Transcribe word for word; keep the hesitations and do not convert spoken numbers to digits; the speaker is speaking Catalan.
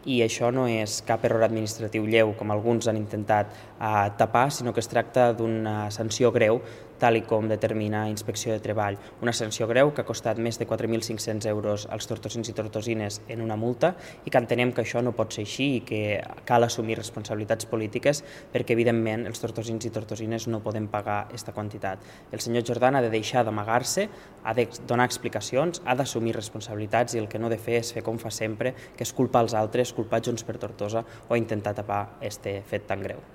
i això no és cap error administratiu lleu, com alguns han intentat eh, tapar, sinó que es tracta d'una sanció greu, tal i com determina Inspecció de Treball. Una sanció greu que ha costat més de quatre mil cinc-cents euros als tortosins i tortosines en una multa i que entenem que això no pot ser així i que cal assumir responsabilitats polítiques perquè, evidentment, els tortosins i tortosines no poden pagar aquesta quantitat. El senyor Jordan ha de deixar d'amagar-se, ha de donar explicacions, ha d'assumir responsabilitats i el que no ha de fer és fer com fa sempre, que és culpar els altres, culpar Junts per Tortosa o intentar tapar aquest fet tan greu.